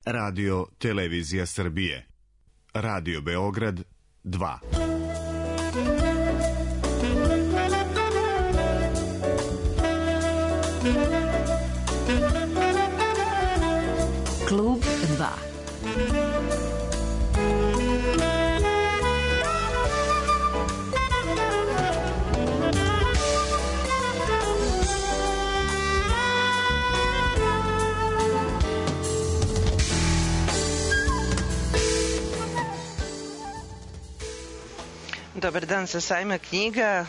Radio Televizija Srbije. Radio Beograd 2. Klub 2. Dobar dan sa sajma knjiga.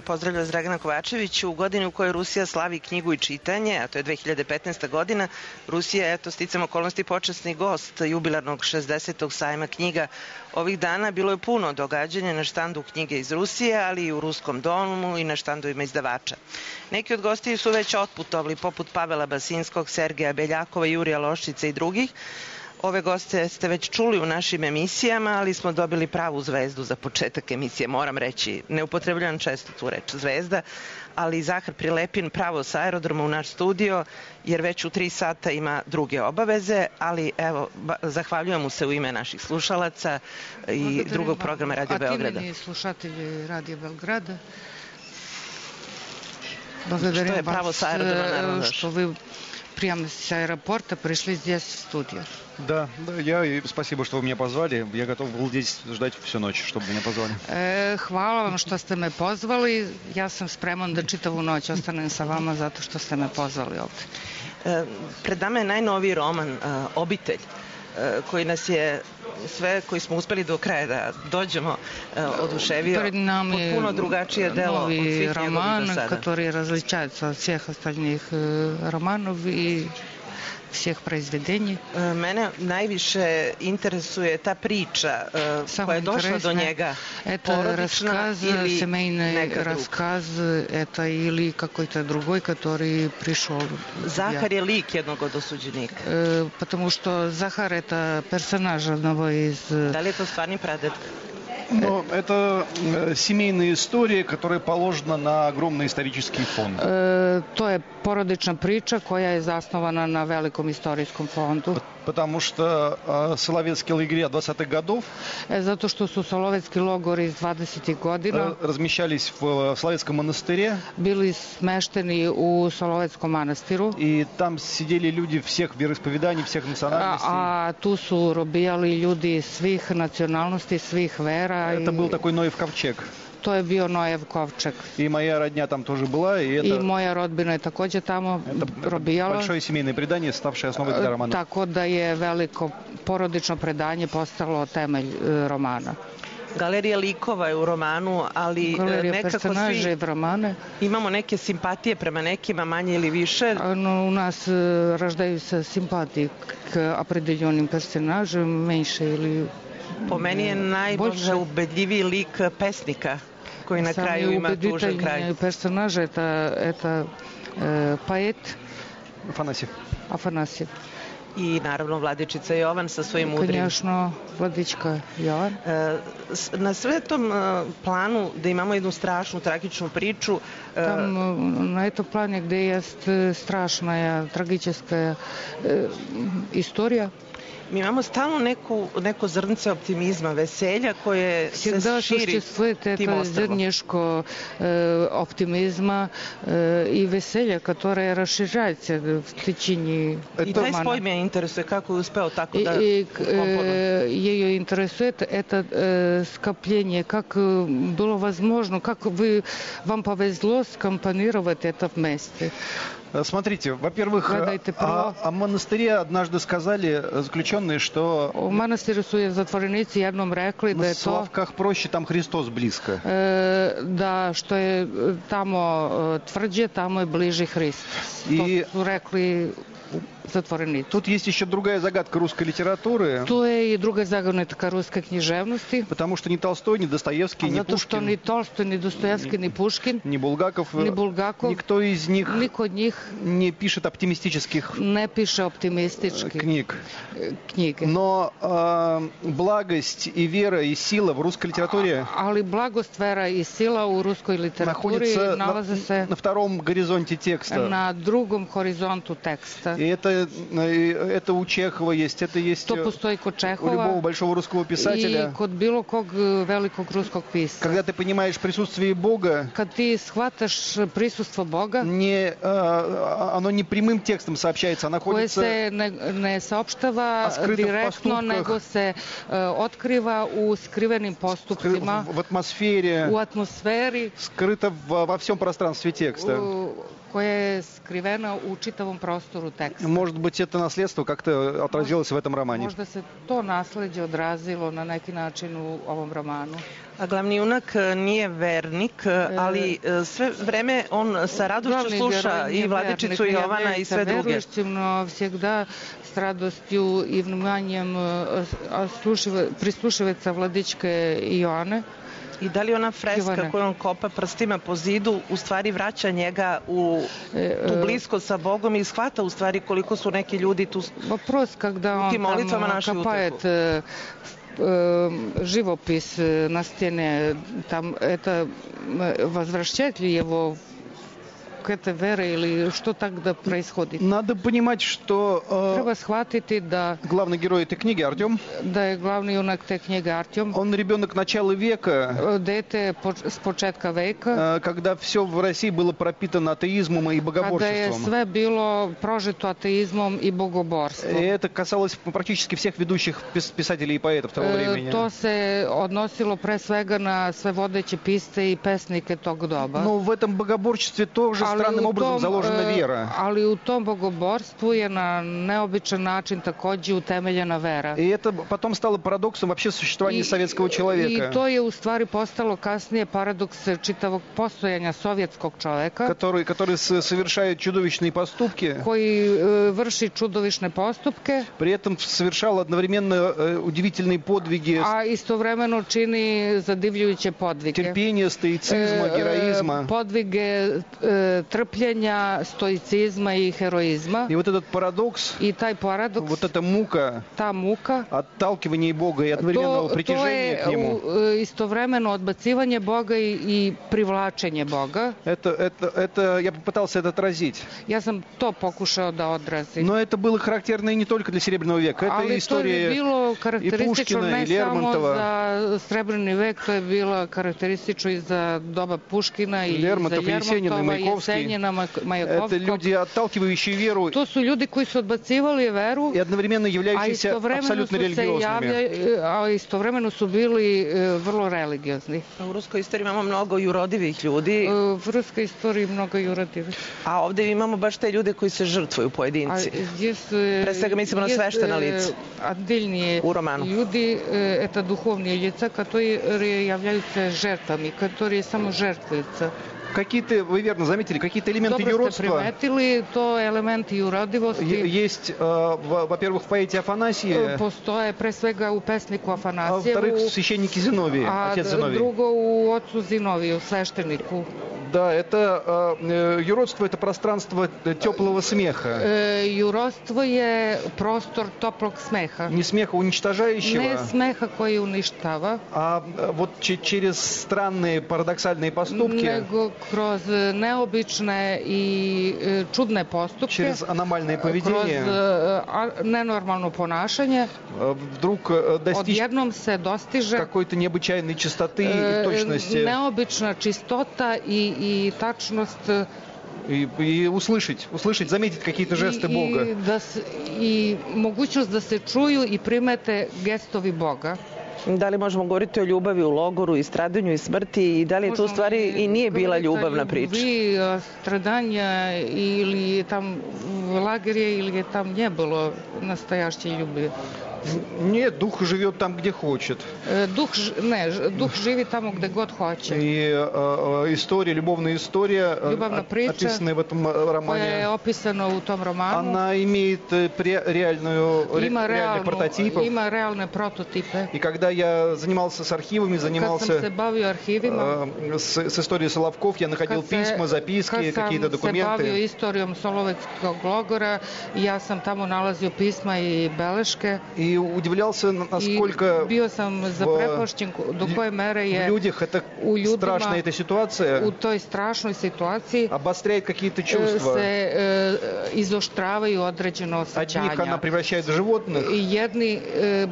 Pozdravlja vas Dragana Kovačević. U godini u kojoj Rusija slavi knjigu i čitanje, a to je 2015. godina, Rusija je, sticam okolnosti, počasni gost jubilarnog 60. sajma knjiga. Ovih dana bilo je puno događanja na štandu knjige iz Rusije, ali i u Ruskom domu i na štandovima izdavača. Neki od gostiju su već otputovali, poput Pavela Basinskog, Sergeja Beljakova, Jurija Loščića i drugih. Ove goste ste već čuli u našim emisijama, ali smo dobili pravu zvezdu za početak emisije, moram reći. Ne upotrebljavam često tu reč zvezda, ali Zahar Prilepin pravo sa aerodroma u naš studio, jer već u 3 sata ima druge obaveze, ali evo, zahvaljujem mu se u ime naših slušalaca i drugog programa Radio Beograda. Aktivni slušatelji Radio Beograda. Što je pravo sa aerodroma, naravno. Što vi прямо с аэропорта пришли здесь в студию. Да, спасибо, что вы меня позвали. Я готов был здесь ждать всю ночь, чтобы меня позвали. Hvala vam što ste me pozvali. Ja sam spreman da čitavu noć ostanem sa vama zato što ste me pozvali ovde. Pred nama je najnoviji roman Obitelj, koji nas je sve koji smo uspeli do kraja da dođemo oduševio. Potpuno drugačije delo od svih njegovih do sada. Роман, который различается от всех остальных романов и всех произведений. Mene najviše interesuje ta priča koja je došla do njega. Это рассказ, семейный рассказ, это или какой-то другой, который пришел. Захар je lik jednog od osuđenika. Потому что Захар это персонаж одного из... Da li je to stvarni praded? Но это семейная история, которая положена на огромный исторический фонд. To je porodična priča koja je zasnovana na velikom istorijskom fondu. Потому что соловецкие лагеря 20-х годов zato što su Solovjetski logori iz 20-ih godina размещались в Соловецком монастыре. Bili smešteni u Solovetskom manastiru. И там сидели люди всех вероисповеданий, всех национальностей. A tu su robijali ljudi svih nacionalnosti, svih vera. Это был такой Ноев ковчег. To je bio Nojev kovčeg. И моя родня там тоже была. I moja rodbina je također tamo robijala. Большое семейное предание, ставшее основой для романа. Tako da je veliko porodično predanje postalo temelj romana. Galerija likova je u romanu, ali nekako svi imamo neke simpatije prema nekima, manje ili više. У нас рождаются симпатии к определенным персонажам, меньше или Po meni je najbolje ubedljiviji lik pesnika, koji na kraju ima tužan kraj. Самый персонаж это поэт Афанасьев. I naravno Vladičica Jovan sa svojim udrim. Конечно, Vladička Jovan. Na sve tom planu da imamo jednu strašnu, tragičnu priču. Там на этом плане, где есть страшная, трагическая история. Mi imamo stalno neko zrnce optimizma, veselja koje se širi tim Всегда существует это зернышко оптимизма и веселья, которое расширяется в течение романа. I taj spoj me interesuje, kako je uspeo tako da komponuje. Ее интересует это скопление, как было возможно, как вам повезло скомпонировать это вместе. Смотрите, во-первых, о монастыре однажды сказали заключенные, что в монастыре su zatvorenici jednom rekli da je to... В Славках проще, там Христос близко. Da, što je tamo tvrđe, tamo je bliži Hrist. To su rekli zatvorenici. Тут есть еще другая загадка русской литературы. Tu je i druga загадка русской književnosti. Потому что ни Толстой, ни Достоевский, ни Zato što ni Tolstoj, ni Dostojevski, ni Puškin, ни Булгаков, никто из них не пишет оптимистических не пише оптимистических книг. Но благость и вера и сила в русской литературе ali blagost, vera i sila u ruskoj literaturi nalaze se на втором горизонте текста. Na drugom horizontu teksta. И это это у Чехова есть, это есть To postoji kod у Čehova любого большого русского писателя. i kod bilo kog velikog ruskog pisca. Когда ты понимаешь присутствие Бога, Kad ti shvataš prisustvo Boga, оно не прямым текстом сообщается, оно koje находится se ne saopštava direktno, nego se otkriva u skrivenim postupcima, в атмосфере, u atmosferi скрыто во всем пространстве текста. koja je skrivena u čitavom prostoru teksta. Может быть, это наследство как-то отразилось в этом романе. Možda se to nasleđe odrazilo na neki način u ovom romanu. A glavni junak nije vernik, ali sve vreme on sa radošću sluša i Vladičicu Jovana i sve druge. Верующим, но всегда с радостью и вниманием прислушивается Владичке Иоанне. I da li ona freska koju on kopa prstima po zidu u stvari vraća njega u tu bliskost sa Bogom i shvata u stvari koliko su neki ljudi tu Вопрос, когда он там копает живопись на стене, там это возвращает ли его к этой вере или что тогда происходит? Надо понимать, что Treba shvatiti da главный герой этой книги Артем, da je glavni junak te knjige Artjom, он ребенок начала века, dete s početka veka, когда все в России было пропитано атеизмом и kada je богоборчеством. sve bilo prožeto ateizmom i bogoborstvom. И это касалось практически всех ведущих писателей и поэтов того времени. To se odnosilo pre svega na sve vodeće pisce i pesnike tog doba. Но в этом богоборчестве тоже странным образом заложена вера. Ali u tom bogoborstvu je na neobičan način takođe utemeljena vera. И это потом стало парадоксом вообще существования советского человека. I to je u stvari postalo kasnije paradoks čitavog postojanja sovjetskog čoveka, который совершает чудовищные поступки, koji vrši čudovišne postupke, при этом совершал одновременно удивительные подвиги, a istovremeno čini zadivljujuće podvige. терпения, стоицизма, героизма. Podvige trpljenja, stoicizma i heroizma. И вот этот парадокс, I taj paradoks, вот эта мука, ta muka, отталкивание Бога и одновременного притяжения к Нему. To je istovremeno odbacivanje Boga i privlačenje Boga. Это я попытался это отразить. Ja sam to pokušao da odrazim. Но это было характерно и не только для Серебряного века. Это Ali to je история bilo karakteristično Puškina, ne i samo Lermontova. za Srebrni vek, to je bilo karakteristično i za doba Puškina i Лермонтов, za Есенин и Lermontova, Маяковский. Jesenjina, Это Majakovskog. люди, отталкивающие веру To su ljudi koji su odbacivali veru, и одновременно являющиеся абсолютно религиозными. a istovremeno su bili vrlo religiozni. U ruskoj istoriji imamo mnogo jurodivih ljudi, U ruskoj istoriji mnogo jurodivih. a ovde imamo baš te ljude koji se žrtvuju pojedinci. Pre svega mislimo na sveštena lica отдельные u romanu. люди, это духовные лица, которые являются жертвами, которые саможертвуются. Какие-то, вы верно заметили, какие-то элементы Dobro ste юродства primetili, to elementi urodivosti есть, во-первых, в поэте Афанасии, postoje pre svega u pesniku а во-вторых, Afanasijevu, в священнике Зиновии, a отец Зиновий. drugo u ocu Zinoviju, svešteniku. Да, это юродство, это пространство теплого смеха. Jurodstvo je prostor toplog smeha. Не смеха уничтожающего, Ne smeha koji uništava, а вот через странные парадоксальные поступки, nego kroz neobične i čudne postupke, через аномальное kroz поведение, nenormalno ponašanje, вдруг достичь odjednom se dostiže какой-то необычайной чистоты и точности. neobična čistota i tačnost И услышать, заметить какие-то жесты Бога. i mogućnost da se čuju i primete gestovi Boga. Da li možemo govoriti o ljubavi u logoru i stradanju i smrti i da li je to u stvari i nije bila ljubavna priča? Ljubavi, stradanja ili tam lagerje ili je tam не было настоящей любви. Нет, дух живет там, где хочет. Дух živi tamo gde god hoće. И любовная история, описанная в этом романе, koja je opisana u tom romanu, она имеет реальный прототип. Ima realne prototipe. И когда я занимался с архивами, Kad sam se bavio arhivima, с историей Соловков, я находил письма, записки, какие-то документы. Kad sam se bavio istorijom Solovetskog logora, ja sam tamo nalazio pisma i beleške. И и удивлялся, насколько bio sam zaprepašćen do koje mere je в людях это u ljudima, страшная эта ситуация u toj strašnoj situaciji обостряет какие-то чувства. se izoštravaju određene osjećanja. Одних она превращает в животных, Jedni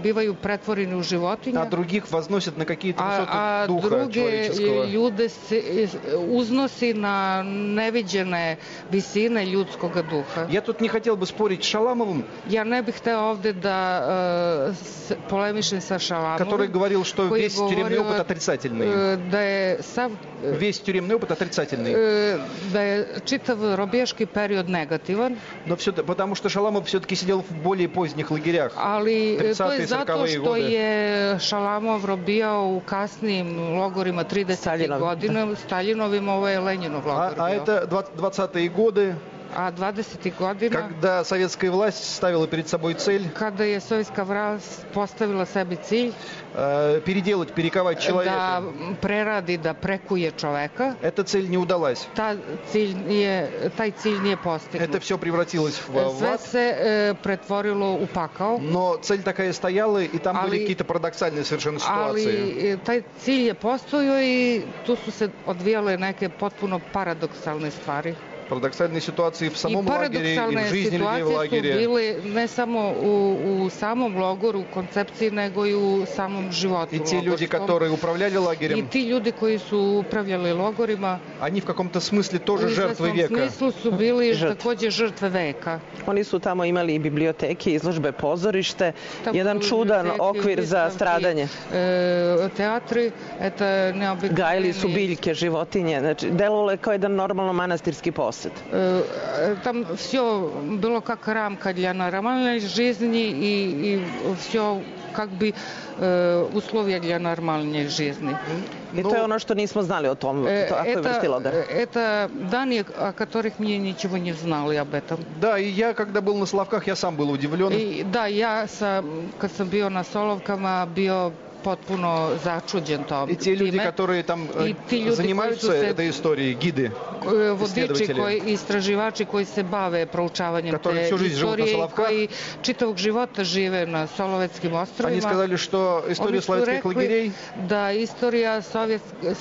bivaju pretvoreni u životinje, а других возносит на какие-то a высоты духа druge человеческого. ljude se uznosi na neviđene visine ljudskog duha. Я тут не хотел бы спорить с Шаламовым, Ja ne bih hteo ovde da polemišem sa Šalamovom, который говорил, что koji весь тюремный govorio опыт отрицательный. da je sav Весь тюремный опыт отрицательный. da je čitav robijaški period negativan, Но все, потому что Шаламов все-таки сидел в более поздних лагерях. ali to 30-e, je zato 40-e što godine. je Šalamov robijao u kasnijim logorima 30. godina, Staljinovim, ovo je Lenjinov logor А bio. это 20-е годы, A 20. godina, когда советская власть ставила перед собой цель kada je sovjetska vlast postavila sebi cilj переделать, перековать da человека, preradi, da prekuje čoveka, эта цель не удалась. taj cilj nije postignut. Это все превратилось в Sve ад. se pretvorilo u pakao, Но цель такая стояла, и там были какие-то парадоксальные совершенно ситуации. ali taj cilj je postojao i tu su se odvijale neke potpuno paradoksalne stvari. Парадоксальные ситуации в I самом лагере, и в paradoksalne жизни людей в situacije su лагере. bile ne samo u samom logoru, u koncepciji, nego i u samom životu И те люди, logorskom. которые управляли I лагерем, ti ljudi koji su upravljali logorima они в каком-то смысле u тоже жертвы izvesnom века. smislu su bili Žrtve. takođe žrtve veka. Oni su tamo imali i biblioteke, izložbe, pozorište, Tamo jedan su čudan biblioteke, okvir za vystavky, stradanje. Teatri, это neobičajni. Gajili su biljke, životinje, znači delovalo je kao jedan normalno manastirski posed. Там все было как рамка для нормальной жизни и все как бы условия для нормальной жизни. I to je ono što nismo znali o tom, takvoj vrsti logora. Это данные, о которых мне ничего не знали об этом. Да, и я, когда был на Соловках, я сам был удивлен. I da, kad sam bio na Solovkama, bio potpuno začuđen tom. И те люди, которые там занимаются этой историей, гиды, vodiči, istraživači koji se bave proučavanjem te istorije i koji čitavog života žive na Solovetskim ostrvima. Они сказали, что история славянских лагерей da istorija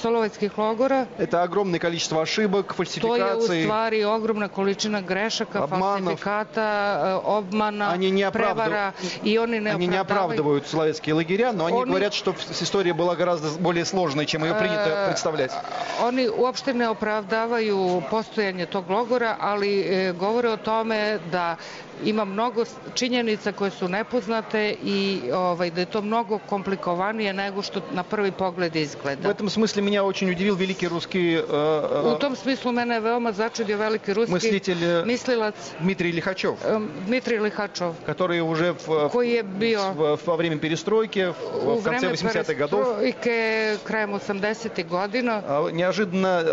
Solovetskih logora это огромное количество ошибок, to je u фальсификаций. stvari ogromna količina grešaka, falsifikata, obmana, prevara i oni не оправдывают славянские лагеря, но они говорят, что история была гораздо более сложной, чем ее принято представлять. Oni uopšte ne opravdavaju postojanje tog logora, ali govore o tome da ima mnogo činjenica koje su nepoznate i da je to mnogo komplikovanije nego što na prvi pogled izgleda. В этом смысле меня очень удивил великий русский U tom smislu mene je veoma začudio veliki ruski mislilac Дмитрий Лихачев, Dmitrij Lihačov, который уже koji je bio во время перестройки, в конце 80-х годов, krajem 80-ih godina, неожиданно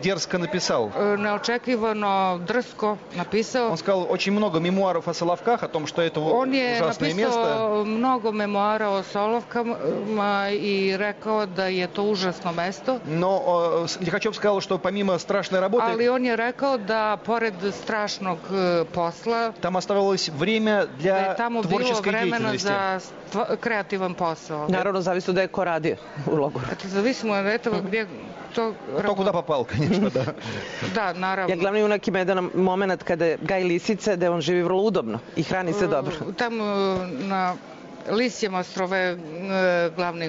дерзко написал. Neočekivano drsko napisao. Он сказал очень много мемуаров о Соловках, о том, что это ужасное место. On je napisao mnogo memoara o Solovkama i rekao da je to užasno mesto. Но Лихачев сказал, что помимо страшной работы, ali on je rekao da pored strašnog posla там оставалось время для творческой деятельности. za kreativan posao. Naravno, zavisno da je ko radio u logoru. Это зависимо от этого, где кто куда попал, конечно, да. Da, naravno. Ja glavni junak ima jedan moment kada gaji lisice, da on živi vrlo udobno i hrani se dobro. Tamo na Лисьем острове главный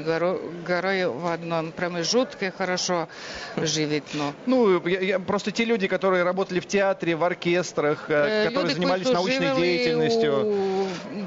герой в одном промежутке хорошо живет. Ну, просто те люди, которые работали в театре, в оркестрах, которые занимались научной деятельностью.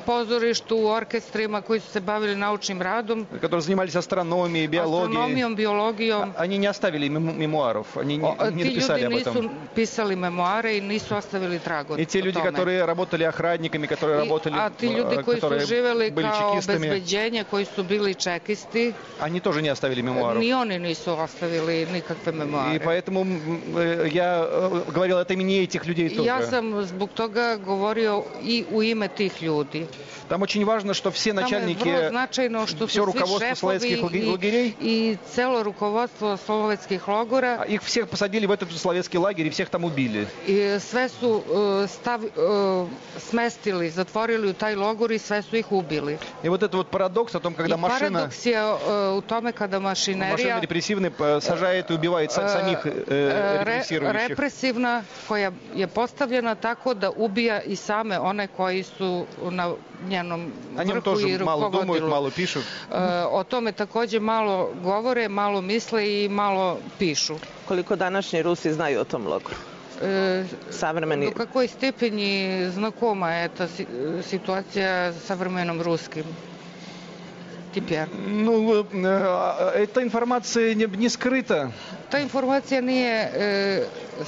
Позорищу, у оркестрима, koji su se bavili naučnim radom, которые занимались астрономией, биологией, биологией, они не оставили мемуаров, они не написали об этом. Ti ljudi nisu pisali memoare i nisu ostavili trag o tome. И те люди, которые работали охранниками, которые работали, которые были kao obezbeđenje, koji su bili čekisti, они тоже не оставили мемуаров. Ni oni nisu ostavili nikakve memoare. И поэтому я говорил от имени этих людей тоже. Ja sam zbog toga govorio i u ime tih ljudi. Там очень важно, что все начальники, все руководство Соловецких лагерей и целое руководство Соловецких логора, их всех посадили в этот Соловецкий лагерь и всех там убили. И sve su smestili, zatvorili u taj logor и sve su ih убили. И вот это вот парадокс о том, когда машина репрессивная сажает и убивает самих репрессирующих. Represivna koja je postavljena tako da ubija i same one koji su na njenom vrhu i rukovodilu. O tome takođe malo govore, malo misle i malo pišu. Koliko današnji Rusi znaju o tom logoru? До какой степени знакома эта ситуация современным русским теперь? Ну, эта информация не скрыта. Та информация не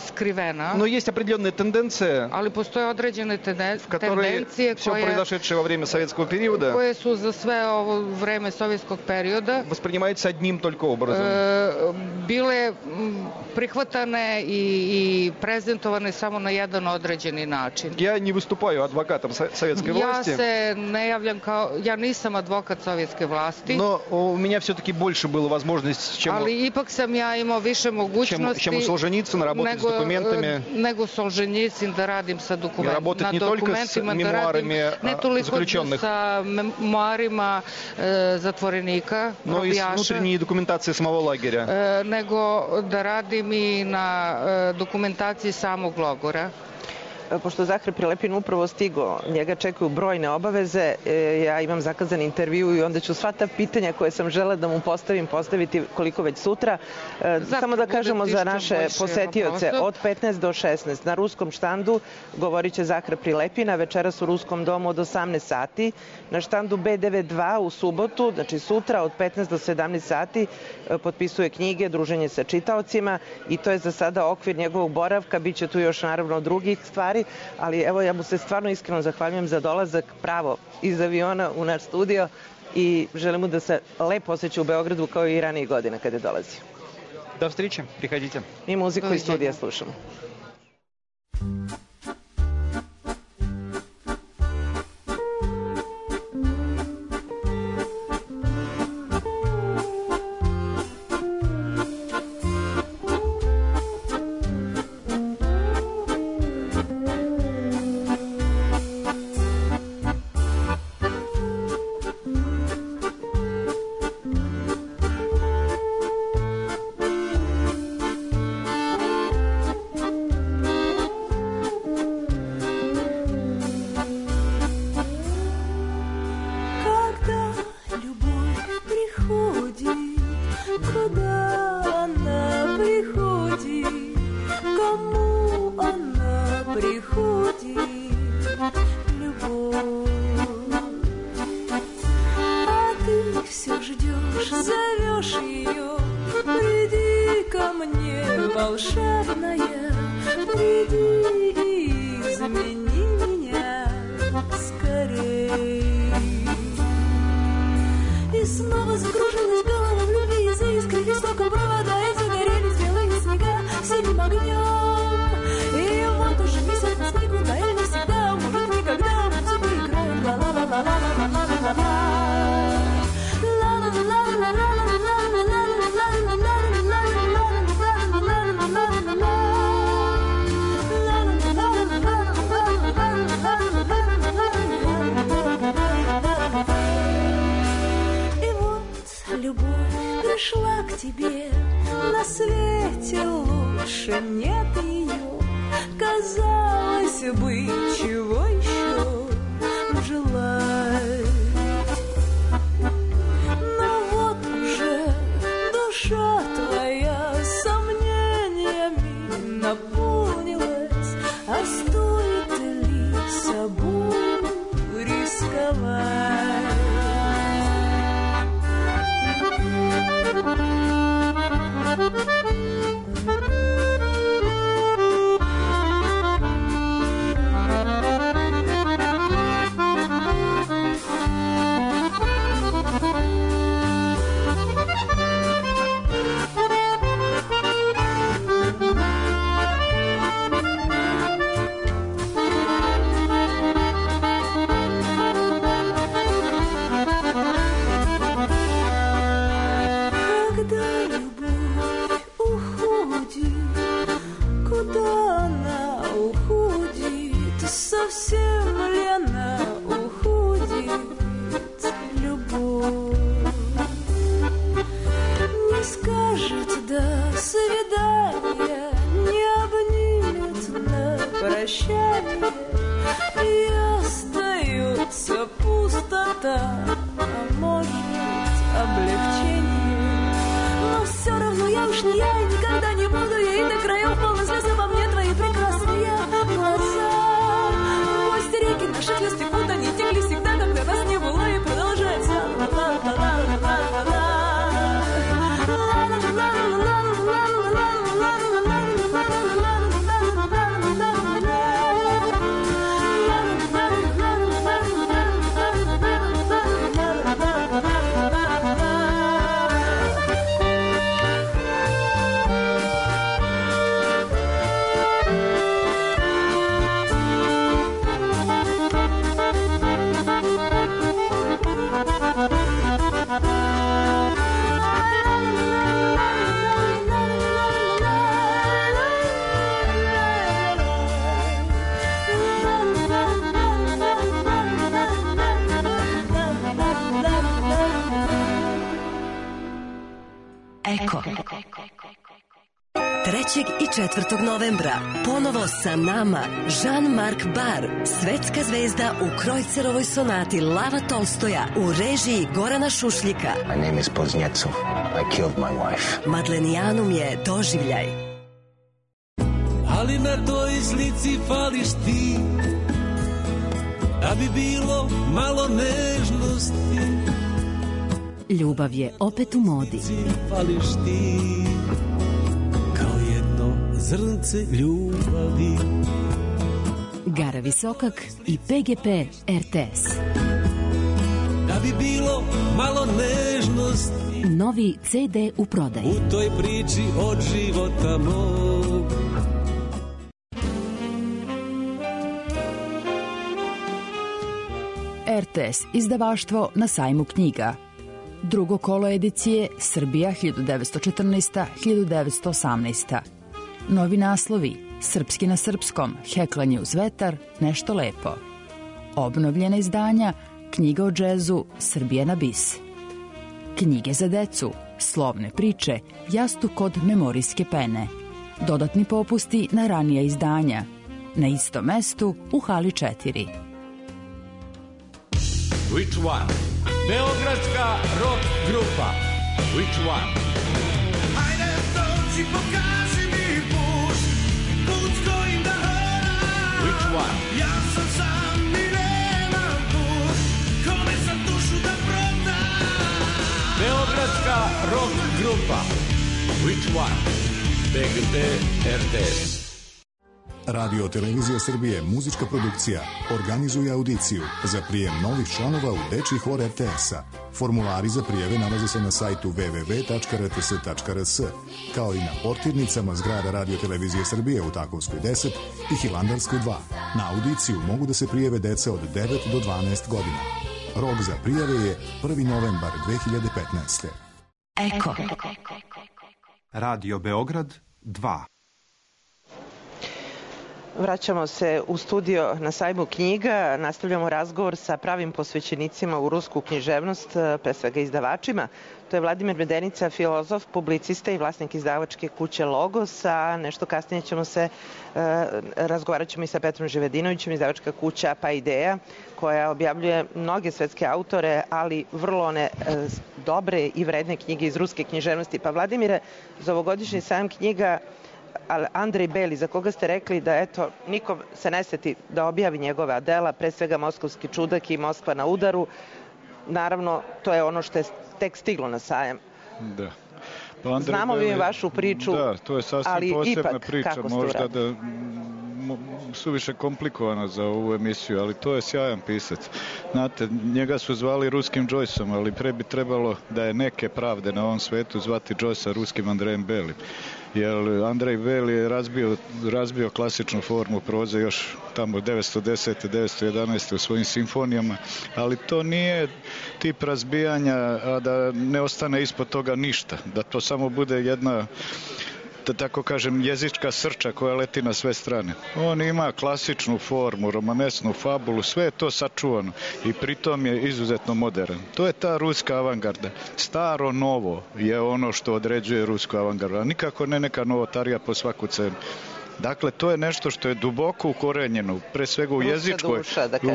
skrivena. Но есть определенная тенденция, ali postoje određene tendencije все произошедшее во время советского периода koje su za sve ovo vreme sovjetskog perioda воспринимаются одним только образом. Bile prihvatane и prezentovane samo na jedan određeni način. Я не выступаю адвокатом советской власти. Ja se ne javljam kao, ja nisam advokat sovjetske vlasti. Но у меня все-таки больше было возможность, чем ali ipak sam ja imao više mogućnosti чем у Солженицына работать с документами. Nego Solženjicin da radim sa dokumentima. Работать не только с мемуарами заключенных, sa memoarima zatvorenika, но и с внутренней документацией самого лагеря. Nego da radim i na dokumentaciji samog logora. Pošto Zahar Prilepin upravo stigo, njega čekaju brojne obaveze, ja imam zakazan intervju i onda ću sva ta pitanja koje sam žela da mu postaviti koliko već sutra. Samo da kažemo za naše posetioce, od 15 do 16 na ruskom štandu govorit će Zahar Prilepin, a večeras u Ruskom domu od 18 sati. Na štandu B92 u subotu, znači sutra od 15 do 17 sati, potpisuje knjige, druženje sa čitaocima i to je za sada okvir njegovog boravka. Biće tu još naravno drugih stvari, ali evo ja mu se stvarno iskreno zahvaljujem za dolazak pravo iz aviona u naš studio i želim mu da se lepo osjeća u Beogradu kao i ranijih godina kada je dolazio. Do встречи, приходите. I muziku iz studija slušamo. облегчение. Но все равно я уж не я, и никогда не буду я, и до краев полны слез обо мне твои прекрасные глаза. Пусть реки наших слез текут, они текли всегда, когда нас не было, и продолжается. Eko. 3. i 4. novembra ponovo sa nama Jean-Marc Barr, svetska zvezda u Krojcerovoj sonati Lava Tolstoja u režiji Gorana Šušljika. My name is Poznjecov. I killed my wife. Madlenijanum je doživljaj. Ali na toj slici fališ ti, da bi bilo malo nežnosti. Ljubav je opet u modi. Fališ ti, kao jedno zrnce ljubavi. Gara Visokak i PGP RTS. Da bi bilo malo nežnosti. Novi CD u prodaji. U toj priči od života mog. RTS izdavaštvo na sajmu knjiga. Drugo kolo edicije Srbija 1914-1918. Novi naslovi Srpski na srpskom, Heklanje uz vetar, Nešto lepo. Obnovljena izdanja Knjiga o džezu, Srbija na bis. Knjige za decu, Slovne priče, Jastuk kod memorijske pene. Dodatni popusti na ranija izdanja. Na istom mestu u hali 4. Which one? Beogradska rock grupa. Which one? Hajde dođi, pokaži mi put, put kojim da hodam. Which one? Ja sam sam i nemam put, kome sam dušu da prodam. Beogradska rock grupa. Which one? BGP RTS. Radio Televizija Srbije, muzička produkcija, organizuje audiciju za prijem novih članova u dečji hor RTS-a. Formulari za prijeve nalaze se na sajtu www.rts.rs, kao i na portirnicama zgrada Radio Televizije Srbije u Takovskoj 10 i Hilandarskoj 2. Na audiciju mogu da se prijeve deca od 9 do 12 godina. Rok za prijave je 1. novembar 2015. Eko. Radio Beograd 2. Vraćamo se u studio na sajmu knjiga, nastavljamo razgovor sa pravim posvećenicima u rusku književnost, pre svega izdavačima. To je Vladimir Medenica, filozof, publicista i vlasnik izdavačke kuće Logos, a nešto kasnije ćemo se, razgovarat ćemo i sa Petrom Živedinovićem, izdavačka kuća Pa Ideja, koja objavljuje mnoge svetske autore, ali vrlo one dobre i vredne knjige iz ruske književnosti. Pa Vladimire, za ovogodišnji sajam knjiga Andrej Beli, za koga ste rekli da eto, nikom se ne seti da objavi njegova dela, pre svega Moskovski čudak i Moskva na udaru. Naravno, to je ono što je tek stiglo na sajam. Da. Pa znamo vi vašu priču, da, to je sasvim ali posebna ipak, priča, kako ste možda da suviše komplikovana za ovu emisiju, ali to je sjajan pisac. Znate, njega su zvali ruskim Joyceom, ali pre bi trebalo da je neke pravde na ovom svetu zvati Joycea ruskim Andrejem Belim. Jer Andrej Beli je razbio klasičnu formu proze još tamo 910. 911. u svojim simfonijama, ali to nije tip razbijanja, a da ne ostane ispod toga ništa, da to samo bude jedna, da tako kažem, jezička srča koja leti na sve strane. On ima klasičnu formu, romanesnu fabulu, sve je to sačuvano i pritom je izuzetno modern. To je ta ruska avangarda. Staro novo je ono što određuje rusku avangardu, a nikako ne neka novotarija po svaku cenu. Dakle, to je nešto što je duboko ukorenjeno, pre svega u jezičkoj.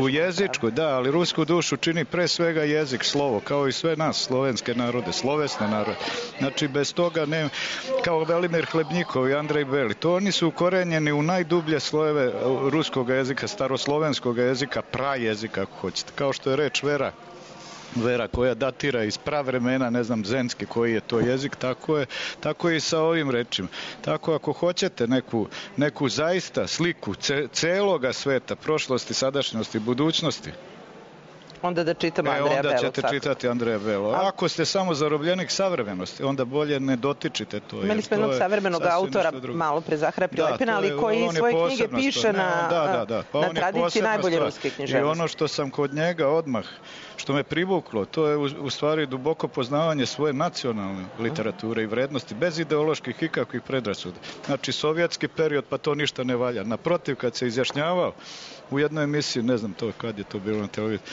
U jezičkoj, da, ali rusku dušu čini pre svega jezik, slovo, kao i sve nas, slovenske narode, slovesne narode. Znači, bez toga ne, kao Velimir Hlebnjikov i Andrej Beli, to oni su ukorenjeni u najdublje slojeve ruskog jezika, staroslovenskog jezika, prajezika, ako hoćete. Kao što je reč vera koja datira iz pravremena, ne znam, zenski koji je to jezik, tako je i sa ovim rečima. Tako ako hoćete neku zaista sliku celoga sveta, prošlosti, sadašnjosti, budućnosti, onda da čitamo Andreja Belo. Onda ćete čitati Andreja Belo. Ako ste samo zarobljenik savremenosti, onda bolje ne dotičite to. Imali smo jednog savremenog autora, malo pre Zahara Prilepina, ali koji svoje knjige piše na tradiciji najbolje ruske književnosti. I ono što sam kod njega odmah, što me privuklo, to je u stvari duboko poznavanje svoje nacionalne literature i vrednosti, bez ideoloških ikakvih predrasuda. Znači, sovjetski period, pa to ništa ne valja. Naprotiv, kad se izjašnjavao u jednoj emisiji, ne znam to kad je to bilo na televiziji,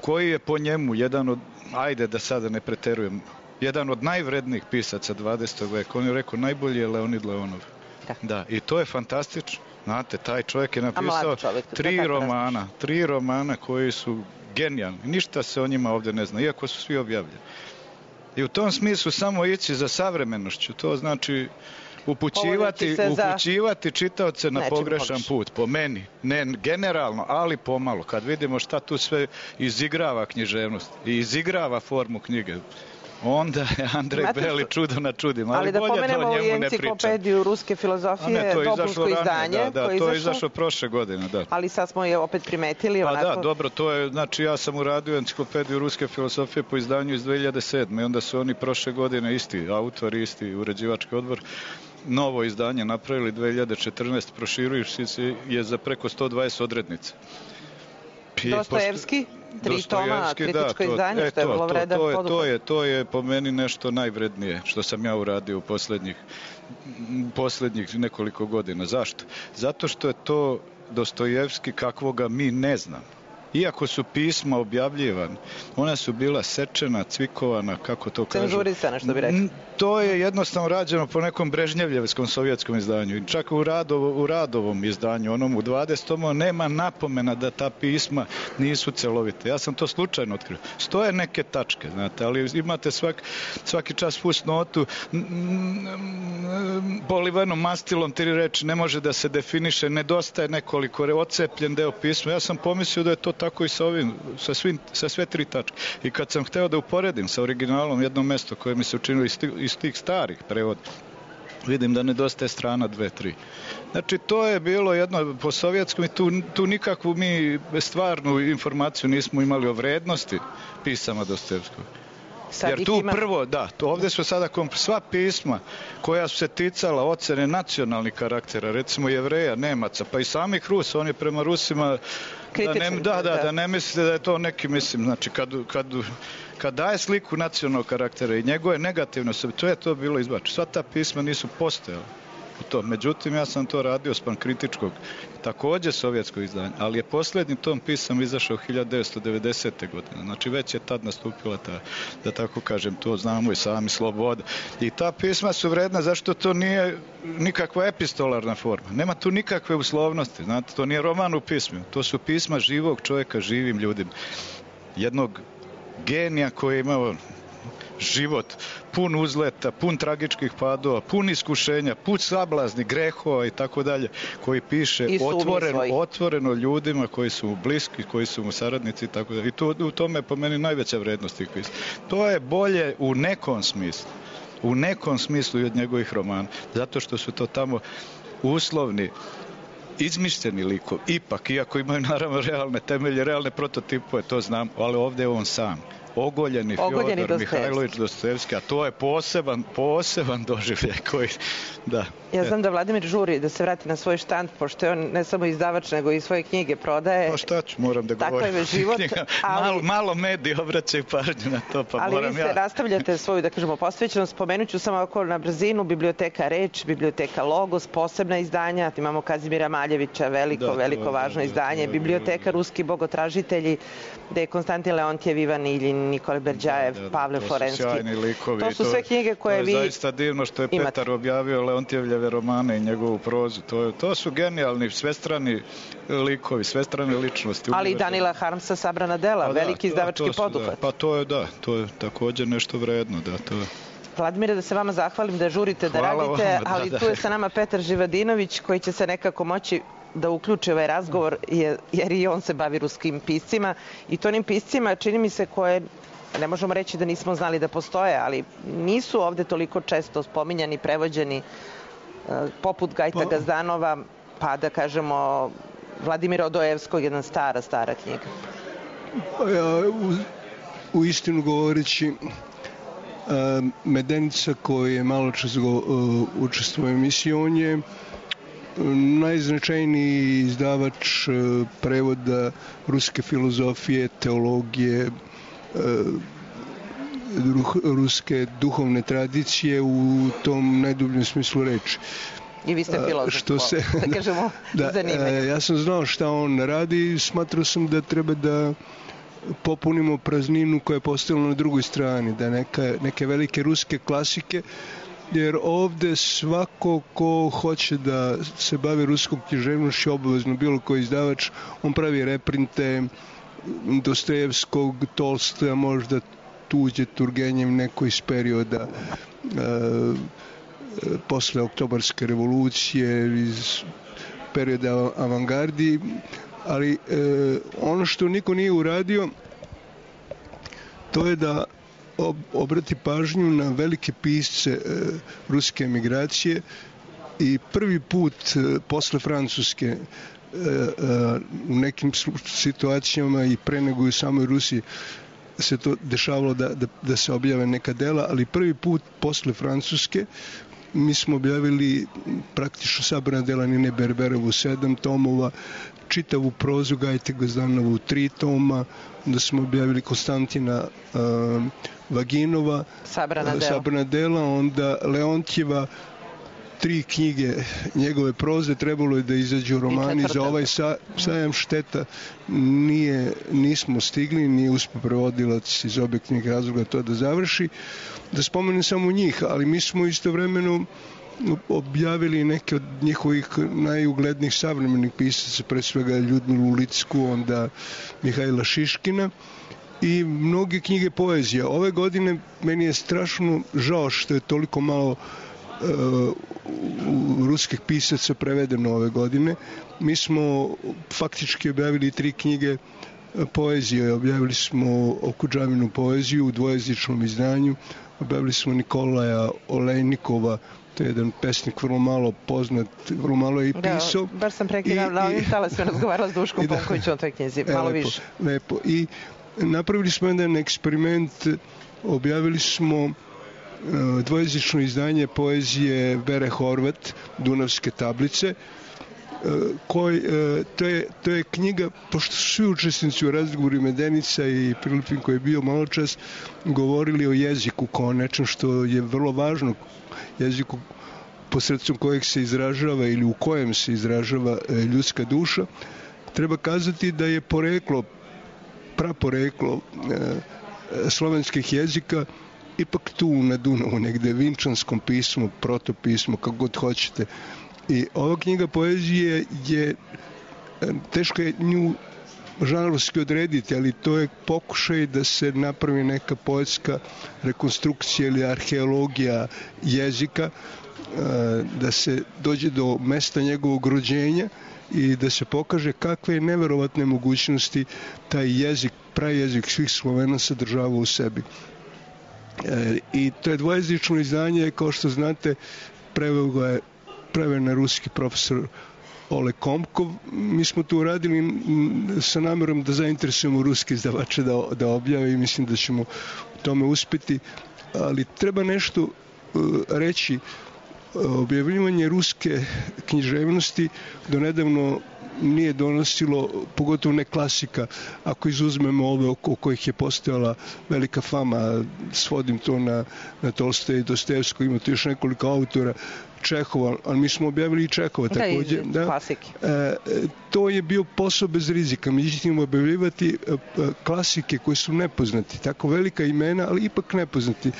koji je po njemu jedan od, ajde da sada ne preterujem, jedan od najvrednijih pisaca 20. veka. On je rekao, najbolji je Leonid Leonov. Da, i to je fantastično. Znate, taj čovjek je napisao tri romana koji su genijalni. Ništa se o njima ovdje ne zna, iako su svi objavljeni. I u tom smislu samo ići za savremenošću, to znači upućivati čitaoce na pogrešan put, po meni. Ne generalno, ali pomalo. Kad vidimo šta tu sve izigrava književnost i izigrava formu knjige, onda je Andrej Beli čudo na čudima. Ali da pomenemo i enciklopediju ruske filozofije, dopunsko izdanje. To je izašlo prošle godine. Ali sad smo je opet primetili. Pa da, dobro, to je, znači ja sam uradio enciklopediju ruske filozofije po izdanju iz 2007. I onda su oni prošle godine isti autori, isti uređivački odbor, novo izdanje napravili 2014, proširujući se je za preko 120 odrednica. Dostojevski, 3 toma, kritičko izdanje, što je bilo vredan poduhvat. To je po meni nešto najvrednije što sam ja uradio u posljednjih nekoliko godina. Zašto? Zato što je to Dostojevski kakvoga mi ne znamo. Iako su pisma objavljivane, ona su bila sečena, cvikovana, kako to kažu. Cenzurisana, što bi rekli. To je jednostavno rađeno po nekom brežnjevljevskom sovjetskom izdanju. Čak u Radovom izdanju, onom u 20. nema napomena da ta pisma nisu celovite. Ja sam to slučajno otkrio. Stoje neke tačke, znate, ali imate svaki čas fusnotu, polivenom mastilom 3 reči, ne može da se definiše, nedostaje nekoliko, ocepljen deo pisma. Ja sam pomislio da je to tako i sa ovim, sa sve 3 tačke. I kad sam hteo da uporedim sa originalom jedno mesto koje mi se učinilo iz tih starih prevoda, vidim da nedostaje strana 2-3. Znači, to je bilo jedno po sovjetskom i tu nikakvu mi stvarnu informaciju nismo imali o vrednosti pisama Dostojevskog. Jer tu prvo, ovdje su sada sva pisma koja su se ticala ocene nacionalnih karaktera, recimo Jevreja, Nemaca, pa i samih Rusa, on je prema Rusima da ne mislite da je to neki, mislim, znači kad daje sliku nacionalnog karaktera i njegove negativne osobe, to je to bilo izbačeno. Sva ta pisma nisu postojala u to. Međutim, ja sam to radio spram kritičkog, također sovjetskog izdanja, ali je posljednji tom pisam izašao 1990. godine. Znači, već je tad nastupila ta, da tako kažem, to znamo i sami, sloboda. I ta pisma su vredna zašto to nije nikakva epistolarna forma. Nema tu nikakve uslovnosti. Znate, to nije roman u pismu. To su pisma živog čovjeka živim ljudima. Jednog genija koji je imao život pun uzleta, pun tragičkih padova, pun iskušenja, pun sablazni, grehova i tako dalje, koji piše otvoreno ljudima koji su mu bliski, koji su mu saradnici i tako dalje. I u tome je po meni najveća vrednost tih pisma. To je bolje u nekom smislu i od njegovih romana, zato što su to tamo uslovni, izmišljeni likovi, ipak, iako imaju naravno realne temelje, realne prototipove, to znam, ali ovdje je on sam. Ogoljeni Fjodor Mihajlović Dostojevski, a to je poseban doživljaj koji, da. Ja znam da Vladimir žuri da se vrati na svoj štand, pošto je on ne samo izdavač, nego i svoje knjige prodaje. Pa šta ću, moram da govorim. Takav je život. Malo mediji obraćaju pažnju na to, pa moram ja. Ali vi se nastavljate svoju, da kažemo, posvećenost. Spomenut ću samo oko na brzinu, biblioteka Reč, biblioteka Logos, posebna izdanja. Imamo Kazimira Maljevića, veliko važno izdanje. Biblioteka Ruski bogotražitelji, gde je Konstantin Leontjev, Ivan Iljin, Nikole Berđajev, Pavle Forenski. To su sjajni likovi. To su sve knjige koje vi imate. To je zaista divno što je Petar objavio Leontijevljeve romane i njegovu prozu. To su genijalni, svestrani likovi, svestrane ličnosti. Ali i Danila Harmsa, Sabrana dela, veliki izdavački poduhvat. Pa to je također nešto vredno, to je. Vladimire, da se vama zahvalim da žurite, da radite, ali tu je sa nama Petar Živadinović koji će se nekako moći da uključi ovaj razgovor, jer i on se bavi ruskim piscima i to onim piscima, čini mi se, koje ne možemo reći da nismo znali da postoje, ali nisu ovde toliko često spominjani, prevođeni, poput Gajta Gazdanova, pa da kažemo Vladimira Odojevskog, jedna stara knjiga. U istinu govoreći, Medenica koji je malo čas učestvovao u emisiji, on je najznačajniji izdavač prevoda ruske filozofije, teologije, ruske duhovne tradicije u tom najdubljem smislu reči. I vi ste filozof, da kažemo, zanimljivo. Ja sam znao šta on radi i smatrao sam da treba da popunimo prazninu koja je postojala na drugoj strani, da neke velike ruske klasike, jer ovde svako ko hoće da se bavi ruskom književnošću, obavezno bilo koji izdavač, on pravi reprinte Dostojevskog, Tolstoja, možda tuđe Turgenjev, neko iz perioda posle Oktobarske revolucije, iz perioda avangardi, ali ono što niko nije uradio, to je da obrati pažnju na velike pisce ruske emigracije i prvi put posle Francuske u nekim situacijama i pre nego i u samoj Rusiji se to dešavalo da se objave neka dela, ali prvi put posle Francuske mi smo objavili praktično sabrana dela Nine Berberovu 7 tomova, čitavu prozu Gajte Gazdanovu 3 toma, da smo objavili Konstantina Vaginova sabrana dela, onda Leontijeva 3 knjige njegove proze, trebalo je da izađu romani za ovaj sajam, šteta nismo stigli, nije uspio prevodilac iz objektivnih razloga to da završi. Da spomenem samo njih, ali mi smo istovremeno objavili neke od njihovih najuglednijih savremenih pisaca, pre svega Ljudmilu Licku, onda Mihajla Šiškina i mnoge knjige poezije. Ove godine meni je strašno žao što je toliko malo ruskih pisaca prevedeno ove godine. Mi smo faktički objavili 3 knjige poezije. Objavili smo Okudžavinu poeziju u dvojezičnom izdanju, objavili smo Nikolaja Olejnikova, to je jedan pesnik vrlo malo poznat, vrlo malo je i pisao. Da, baš sam prekidala, ovim talasima razgovarala s Duškom Ponkovićom o toj knjizi, malo više. Lepo. I napravili smo jedan eksperiment, objavili smo dvojezično izdanje poezije Vere Horvat, Dunavske tablice, to je knjiga, pošto su svi učesnici u razgovoru Medenica i Pilipin koji je bio malo čas govorili o jeziku kao nečem što je vrlo važno, jeziku posredstvom kojeg se izražava ili u kojem se izražava ljudska duša. Treba kazati da je praporeklo slovenskih jezika ipak tu na Dunavu, negde vinčanskom pismu, protopismu, kako god hoćete. I ova knjiga poezije je, teško je nju žanrovski odrediti, ali to je pokušaj da se napravi neka poetska rekonstrukcija ili arheologija jezika, da se dođe do mesta njegovog rođenja i da se pokaže kakve neverovatne mogućnosti taj jezik, prajezik svih Slovena sadržava u sebi. I to je dvojezično izdanje, kao što znate, preveo na ruski profesor Ole Komkov. Mi smo to uradili sa namerom da zainteresujemo ruske izdavače da objave i mislim da ćemo u tome uspeti. Ali treba nešto reći objavljivanje ruske književnosti do nedavno nije donosilo, pogotovo ne klasika, ako izuzmemo ove oko kojih je postojala velika fama, svodim to na Tolstoja i Dostojevskog, ima tu još nekoliko autora, Čehova, ali mi smo objavili i Čehova također. To je bio posao bez rizika, međutim objavljivati klasike koji su nepoznati, tako velika imena, ali ipak nepoznati.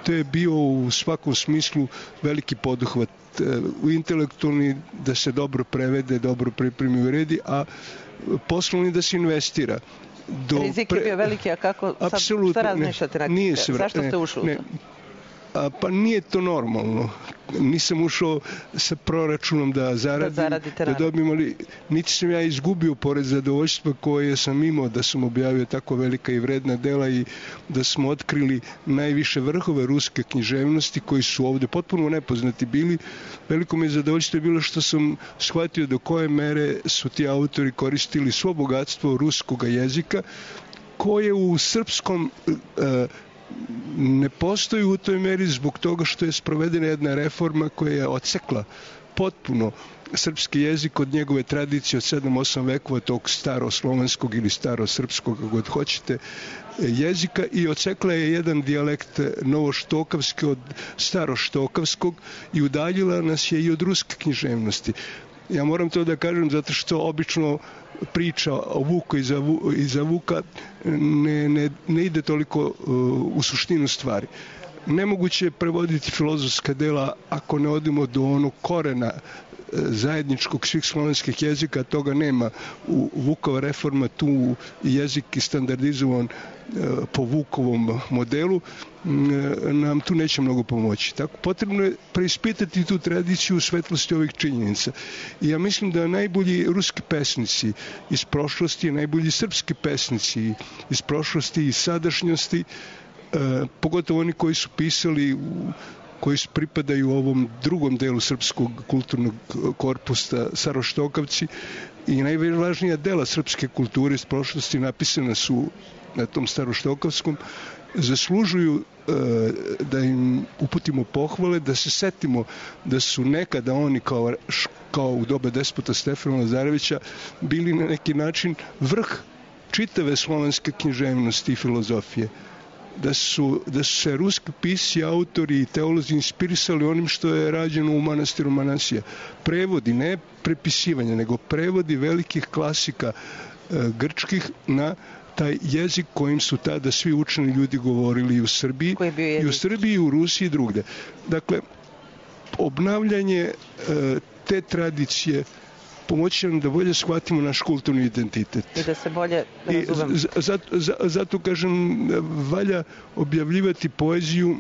To je bio u svakom smislu veliki poduhvat u intelektualni, da se dobro prevede, dobro pripremi u redi, a poslovni da se investira. Rizik je bio veliki, a kako sad, šta razmišljate na zašto ste ušli u to? Pa nije to normalno. Nisam ušao sa proračunom da zaradim, da dobijem, ali niti sam ja izgubio pored zadovoljstva koje sam imao da sam objavio tako velika i vredna dela i da smo otkrili najviše vrhove ruske književnosti koji su ovdje potpuno nepoznati bili. Veliko mi je zadovoljstvo bilo što sam shvatio do koje mere su ti autori koristili svo bogatstvo ruskog jezika koje u srpskom ne postoji u toj meri zbog toga što je sprovedena jedna reforma koja je odsekla potpuno srpski jezik od njegove tradicije od 7-8 vekova tog staroslovenskog ili starosrpskog, kako god hoćete, jezika i odsekla je jedan dijalekt novoštokavski od staroštokavskog i udaljila nas je i od ruske književnosti. Ja moram to da kažem zato što obično priča o Vuku iza Vuka ne ide toliko u suštinu stvari. Nemoguće je prevoditi filozofska dela ako ne odemo do onog korena zajedničkog svih slovenskih jezika, toga nema. U Vukova reforma tu jezik je standardizovan po Vukovom modelu, nam tu neće mnogo pomoći. Tako potrebno je preispitati tu tradiciju u svetlosti ovih činjenica. I ja mislim da najbolji ruski pesnici iz prošlosti, najbolji srpski pesnici iz prošlosti i sadašnjosti, pogotovo oni koji su pisali koji pripadaju ovom drugom delu srpskog kulturnog korpusa, staroštokavci, i najvažnija dela srpske kulture iz prošlosti napisana su na tom staroštokavskom, zaslužuju da im uputimo pohvale, da se setimo da su nekada oni kao u doba despota Stefana Lazarevića bili na neki način vrh čitave slovenske književnosti i filozofije. Da su se ruski pisci, autori i teolozi inspirisali onim što je rađeno u manastiru Manasija. Prevodi, ne prepisivanje, nego prevodi velikih klasika grčkih na taj jezik kojim su tada svi učeni ljudi govorili i u Srbiji, i u Rusiji i drugde. Dakle, obnavljanje te tradicije pomoći nam da bolje shvatimo naš kulturni identitet. I da se bolje razumemo. Zato kažem, valja objavljivati poeziju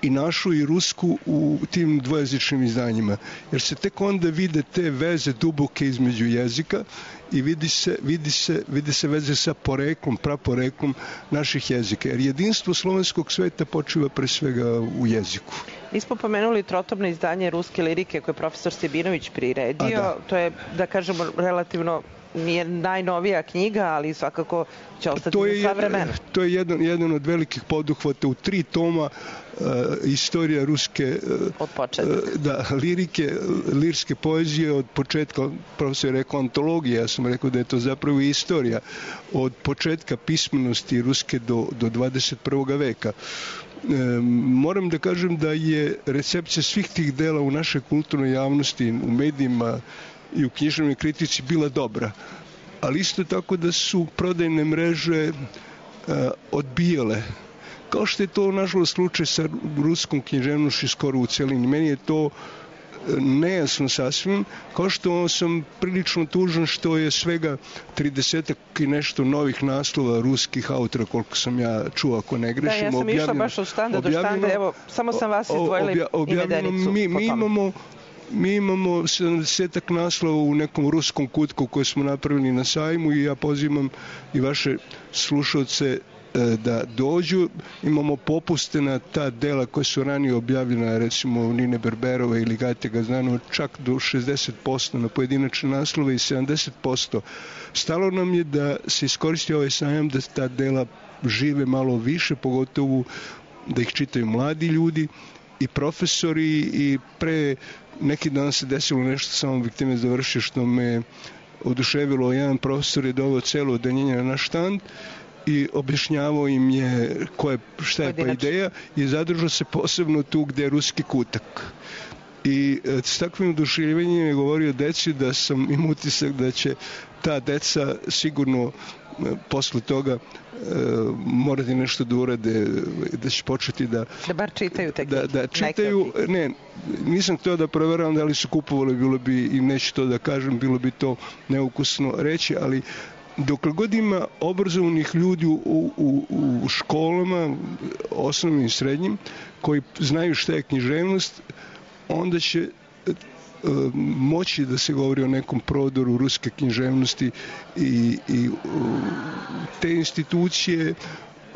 i našu i rusku u tim dvojezičnim izdanjima. Jer se tek onda vide te veze duboke između jezika i vidi se veze sa poreklom, praporeklom naših jezika. Jer jedinstvo slovenskog sveta počiva pre svega u jeziku. Nismo pomenuli trotobno izdanje ruske lirike koje je profesor Stebinović priredio. To je, da kažemo, relativno nije najnovija knjiga, ali svakako će ostati za sva vremena. To je jedan od velikih poduhvata u 3 toma istorija ruske lirike, lirske poezije od početka, profesor je rekao antologija, ja sam rekao da je to zapravo istorija od početka pismenosti ruske do 21. veka. Moram da kažem da je recepcija svih tih dela u našoj kulturnoj javnosti, u medijima i u književnoj kritici bila dobra, ali isto tako da su prodajne mreže odbijale. Kao što je to nažalost slučaj sa ruskom književnošću skoro u celini. Meni je to nejasno sasvim, kao što sam prilično tužan što je svega 30 i nešto novih naslova ruskih autora, koliko sam ja čuo, ako ne grešim. Da, ja sam išla baš od štanda do štanda, evo, samo sam vas izdvojila i Medenicu. Mi imamo 70-ak naslova u nekom ruskom kutku koje smo napravili na sajmu i ja pozivam i vaše slušalce da dođu. Imamo popuste na ta dela koja su ranije objavljena, recimo Nine Berberove ili Gajte Gaznanova, čak do 60% na pojedinačne naslove i 70%. Stalo nam je da se iskoristi ovaj sajam, da ta dela žive malo više, pogotovo da ih čitaju mladi ljudi i profesori, i pre neki dan se desilo nešto, samo bih time završio, što me oduševilo. Jedan profesor je doveo celo odeljenje na naš štand i objašnjavao im je šta je pa ideja, i zadržao se posebno tu gde je ruski kutak. I s takvim oduševljenjem je govorio deci da sam im utisak da će ta deca sigurno posle toga morati nešto da urade, da će početi da bar čitaju te knjige. Da čitaju, ne, nisam htio da proveravam da li su kupovali, bilo bi, i neću to da kažem, bilo bi to neukusno reći, ali dokle god ima obrazovanih ljudi u školama, osnovnim i srednjim, koji znaju šta je književnost, onda će moći da se govori o nekom prodoru ruske književnosti i te institucije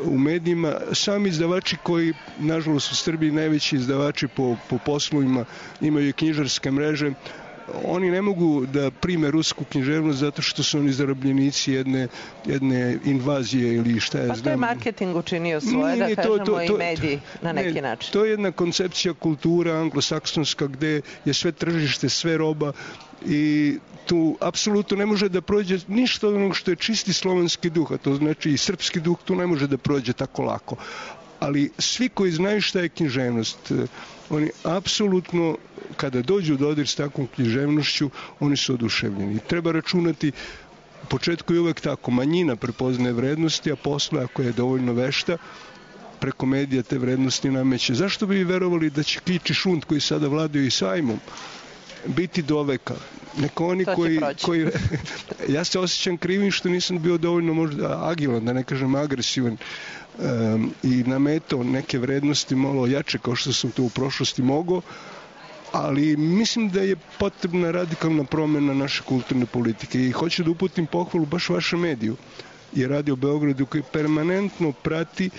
u medijima. Sami izdavači koji, nažalost, u Srbiji najveći izdavači po poslovima, imaju knjižarske mreže, oni ne mogu da prime rusku književnost zato što su oni zarobljenici jedne invazije ili šta je znam. Pa to je marketing učinio svoje, da kažemo, i mediji na neki način. To je jedna koncepcija kultura anglosaksonska gde je sve tržište, sve roba, i tu apsolutno ne može da prođe ništa onog što je čisti slovenski duh, a to znači i srpski duh, tu ne može da prođe tako lako. Ali svi koji znaju šta je književnost, oni apsolutno, kada dođu u dodir s takvom književnošću, oni su oduševljeni. Treba računati, u početku je uvek tako, manjina prepoznaje vrednosti, a posle, ako je dovoljno vešta, preko medija te vrednosti nameće. Zašto bi verovali da će Kič i Šund, koji sada vladaju i sajmom, biti do veka? Neko oni koji ja se osjećam krivim što nisam bio dovoljno možda agilan, da ne kažem agresivan, i nametao neke vrednosti malo jače kao što sam to u prošlosti mogao, ali mislim da je potrebna radikalna promjena naše kulturne politike i hoću da uputim pohvalu baš vašem mediju i Radio Beogradu, koji permanentno prati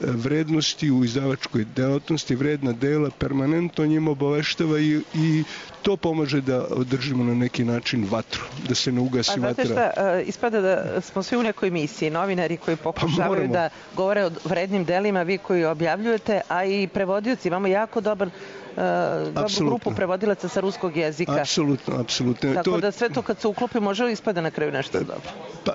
vrednosti u izdavačkoj delatnosti, vredna dela, permanentno njima obaveštava i to pomaže da održimo na neki način vatru, da se ne ugasi vatra. Znate šta, ispada da smo svi u nekoj misiji, novinari koji pokušavaju da govore o vrednim delima, vi koji objavljujete, a i prevodioci. Imamo jako dobru grupu prevodilaca sa ruskog jezika. Apsolutno. Tako da sve to kad se uklopi može li ispada na kraju nešto dobro? Pa,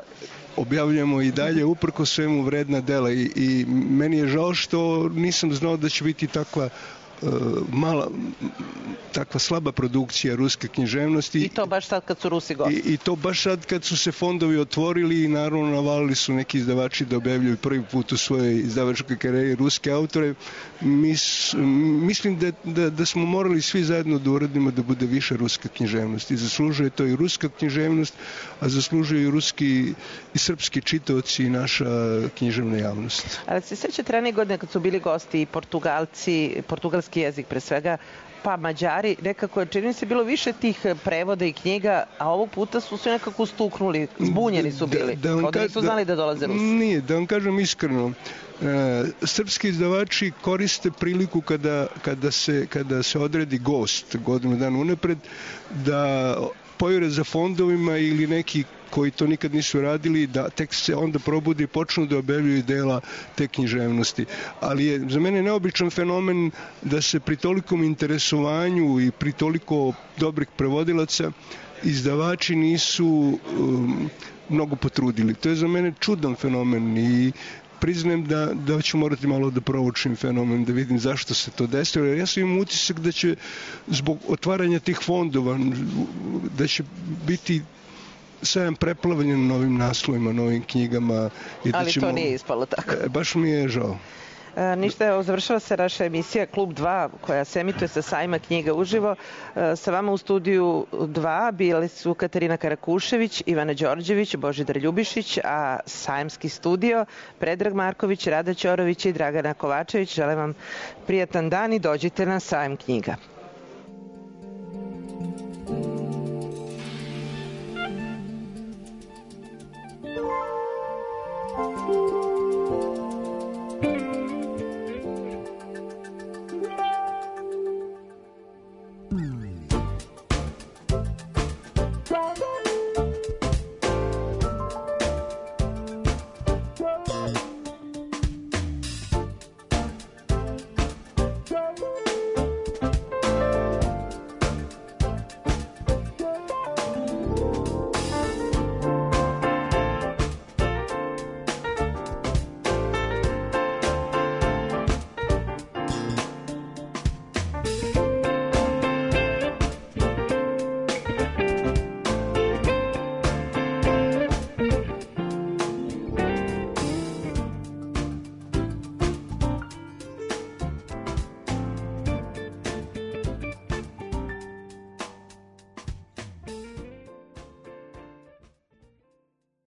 objavljamo i dalje uprko svemu vredna dela i meni je žao što nisam znao da će biti takva takva slaba produkcija ruske književnosti. I to baš sad kad su Rusi gosti. I to baš sad kad su se fondovi otvorili i naravno navalili su neki izdavači da objavljuju prvi put u svojoj izdavačkoj karijeri ruske autore. Mislim da smo morali svi zajedno da uradimo da bude više ruske književnosti. Zaslužuje to i ruska književnost, a zaslužuje i ruski i srpski čitaoci i naša književna javnost. Ali se sećate ranije godine kad su bili gosti i Portugalci, portugalski jezik pre svega, pa Mađari, nekako je, čini se, bilo više tih prevoda i knjiga, a ovog puta su se nekako ustuknuli, zbunjeni su bili, kao da nisu znali da dolaze Rusi. Nije, da vam kažem iskreno, srpski izdavači koriste priliku kada se odredi gost godinu dana unapred, da pojure za fondovima ili neki koji to nikad nisu radili, da tek se onda probude i počnu da objavljuju dela te književnosti. Ali je za mene neobičan fenomen da se pri tolikom interesovanju i pri toliko dobrih prevodilaca izdavači nisu mnogo potrudili. To je za mene čudan fenomen i priznajem da ću morati malo da proučim fenomen, da vidim zašto se to desilo. Jer ja sam imam utisak da će zbog otvaranja tih fondova, da će biti sajam preplavljen novim naslovima, novim knjigama. Ali to nije ispalo tako. Baš mi je žao. Ništa, završava se naša emisija Klub 2 koja se emituje sa sajma knjiga uživo. Sa vama u studiju 2 bili su Katarina Karakušević, Ivana Đorđević, Božidar Ljubišić, a sajmski studio Predrag Marković, Rada Ćorović i Dragana Kovačević. Želim vam prijatan dan i dođite na sajam knjiga.